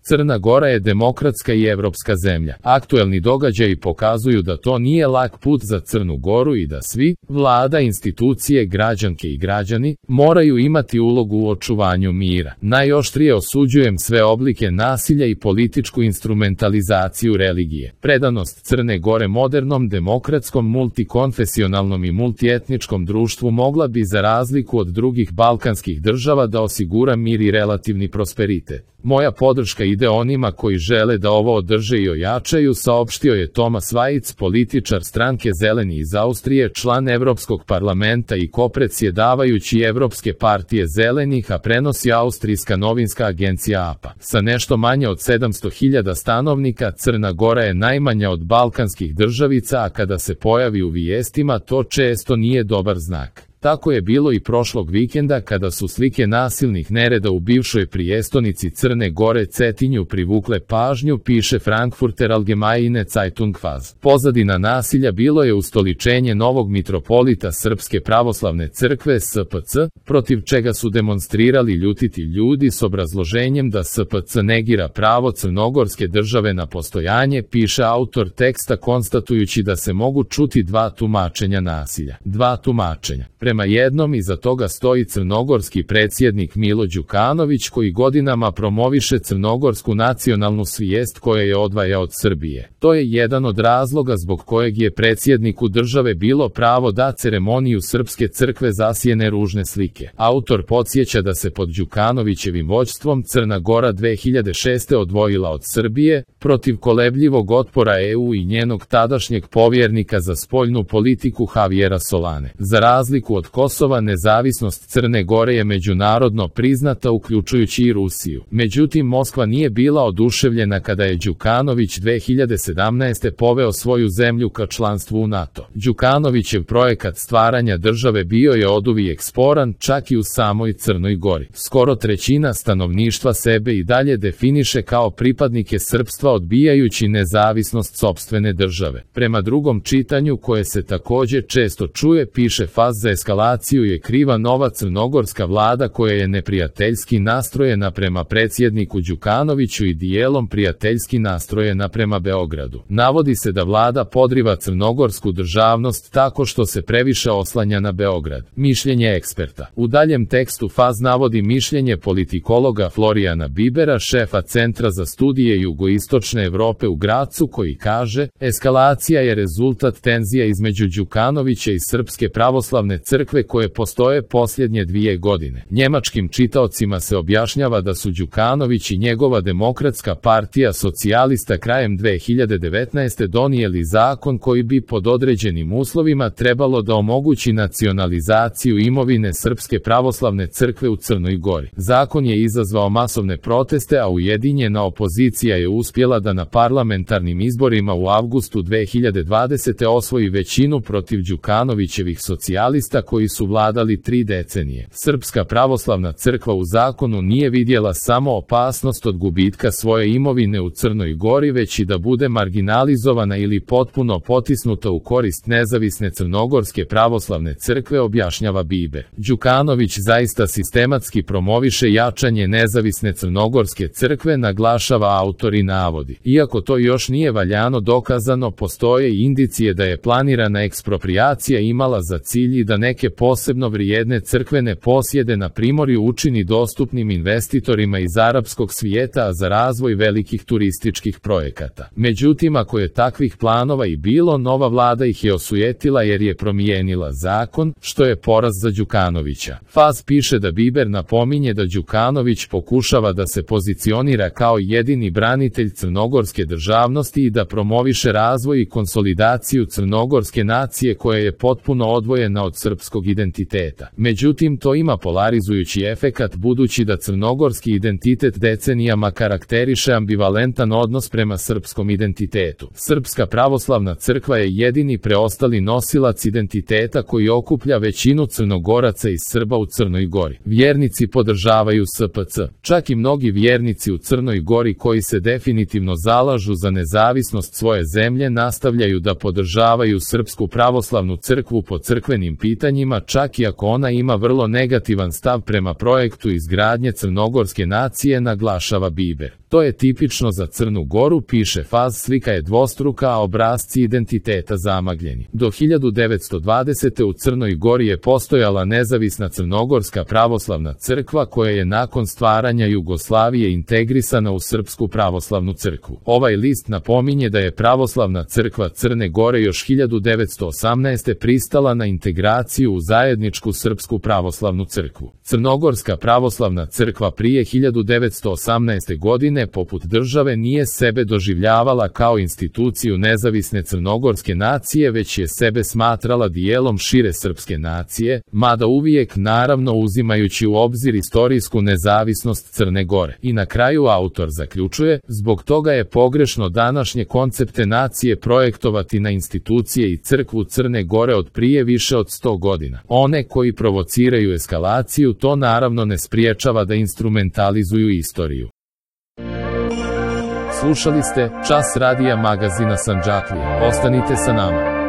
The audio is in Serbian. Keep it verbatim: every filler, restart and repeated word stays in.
Crna Gora je demokratska i evropska zemlja. Aktuelni događaji pokazuju da to nije lak put za Crnu Goru i da svi, vlada, institucije, građanke i građani, moraju imati ulogu u očuvanju mira. Najoštrije osuđujem sve oblike nasilja i političku instrumentalizaciju religije. Predanost Crne Gore modernom, demokratskom, multikonfesionalnom i multietničkom društvu mogla bi za razliku od drugih balkanskih država da osigura mir i relativni prosperitet. Moja podrška ide onima koji žele da ovo održe i ojačaju, saopštio je Tomas Vajc, političar stranke Zeleni iz Austrije, član Evropskog parlamenta i kopredsjedavajući Evropske partije Zelenih, a prenosi austrijska novinska agencija A P A. Sa nešto manje od sedamsto hiljada stanovnika, Crna Gora je najmanja od balkanskih državica, a kada se pojavi u vijestima, to često nije dobar znak. Tako je bilo i prošlog vikenda kada su slike nasilnih nereda u bivšoj prijestonici Crne Gore Cetinju privukle pažnju, piše Frankfurter Allgemeine Zeitung Faz. Pozadina nasilja bilo je ustoličenje novog mitropolita Srpske pravoslavne crkve S P C, protiv čega su demonstrirali ljutiti ljudi s obrazloženjem da S P C negira pravo crnogorske države na postojanje, piše autor teksta konstatujući da se mogu čuti dva tumačenja nasilja. Dva tumačenja. Prema jednom iza toga stoji crnogorski predsjednik Milo Đukanović koji godinama promoviše crnogorsku nacionalnu svijest koja je odvaja od Srbije. To je jedan od razloga zbog kojeg je predsjedniku države bilo pravo da ceremoniju Srpske crkve zasjene ružne slike. Autor podsjeća da se pod Đukanovićevim vođstvom Crna Gora dve hiljade šeste odvojila od Srbije, protiv kolebljivog otpora E U i njenog tadašnjeg povjernika za spoljnu politiku Javiera Solane. Za razliku od Kosova, nezavisnost Crne Gore je međunarodno priznata uključujući i Rusiju. Međutim, Moskva nije bila oduševljena kada je Đukanović dve hiljade sedamnaeste poveo svoju zemlju ka članstvu u NATO. Đukanovićev projekat stvaranja države bio je oduvijek sporan, čak i u samoj Crnoj Gori. Skoro trećina stanovništva sebe i dalje definiše kao pripadnike srpstva, odbijajući nezavisnost sopstvene države. Prema drugom čitanju, koje se također često čuje, piše Faz, za eskalaciju je kriva nova crnogorska vlada koja je neprijateljski nastrojena prema predsjedniku Đukanoviću i dijelom prijateljski nastrojena prema Beogradu. Navodi se da vlada podriva crnogorsku državnost tako što se previše oslanja na Beograd. Mišljenje eksperta. U daljem tekstu Faz navodi mišljenje politikologa Florijana Bibera, šefa Centra za studije jugoistočne Evrope u Gracu, koji kaže: eskalacija je rezultat tenzija između Đukanovića i Srpske pravoslavne crkve koje postoje posljednje dvije godine. Njemačkim čitaocima se objašnjava da su Đukanović i njegova demokratska partija socijalista krajem dve hiljade devetnaeste donijeli zakon koji bi pod određenim uslovima trebalo da omogući nacionalizaciju imovine Srpske pravoslavne crkve u Crnoj Gori. Zakon je izazvao masovne proteste, a ujedinjena opozicija je uspjela da na parlamentarnim izborima u avgustu dve hiljade dvadesete osvoji većinu protiv Đukanovićevih socijalista koji su vladali tri decenije. Srpska pravoslavna crkva u zakonu nije vidjela samo opasnost od gubitka svoje imovine u Crnoj Gori, već i da bude marginalizovana ili potpuno potisnuta u korist nezavisne crnogorske pravoslavne crkve, objašnjava Biber. Đukanović zaista sistematski promoviše jačanje nezavisne crnogorske crkve, naglašava autor i navodi. Iako to još nije valjano dokazano, postoje i indicije da je planirana eksproprijacija imala za cilj i da neke posebno vrijedne crkvene posjede na primorju učini dostupnim investitorima iz arapskog svijeta, a za razvoj velikih turističkih projekata. Međutim, ako je takvih planova i bilo, nova vlada ih je osujetila jer je promijenila zakon, što je poraz za Đukanovića. Faz piše da Biber napominje da Đukanović pokušava da se pozicionira kao jedini branitelj crnogorske državnosti i da promoviše razvoj i konsolidaciju crnogorske nacije koja je potpuno odvojena od srpskog identiteta. Međutim, to ima polarizujući efekat budući da crnogorski identitet decenijama karakteriše ambivalentan odnos prema srpskom identitetu. Srpska pravoslavna crkva je jedini preostali nosilac identiteta koji okuplja većinu Crnogoraca i Srba u Crnoj Gori. Vjernici podržavaju S P C. Čak i mnogi vjernici u Crnoj Gori koji se definitivno zalažu za nezavisnost svoje zemlje nastavljaju da podržavaju Srpsku pravoslavnu crkvu po crkvenim pitanjima pitanjima, čak i ako ona ima vrlo negativan stav prema projektu izgradnje crnogorske nacije, naglašava Biber. To je tipično za Crnu Goru, piše Faz, slika je dvostruka, a obrasci identiteta zamagljeni. Do hiljadu devetsto dvadesete. u Crnoj Gori je postojala nezavisna Crnogorska pravoslavna crkva koja je nakon stvaranja Jugoslavije integrisana u Srpsku pravoslavnu crkvu. Ovaj list napominje da je Pravoslavna crkva Crne Gore još hiljadu devetsto osamnaeste. pristala na integraciju u zajedničku Srpsku pravoslavnu crkvu. Crnogorska pravoslavna crkva prije hiljadu devetsto osamnaeste. godine poput države nije sebe doživljavala kao instituciju nezavisne crnogorske nacije, već je sebe smatrala dijelom šire srpske nacije, mada uvijek naravno uzimajući u obzir istorijsku nezavisnost Crne Gore. I na kraju autor zaključuje, zbog toga je pogrešno današnje koncepte nacije projektovati na institucije i crkvu Crne Gore od prije više od sto godina. One koji provociraju eskalaciju to naravno ne spriječava da instrumentalizuju istoriju. Slušali ste Čas radija magazina Sandžaklija. Ostanite sa nama.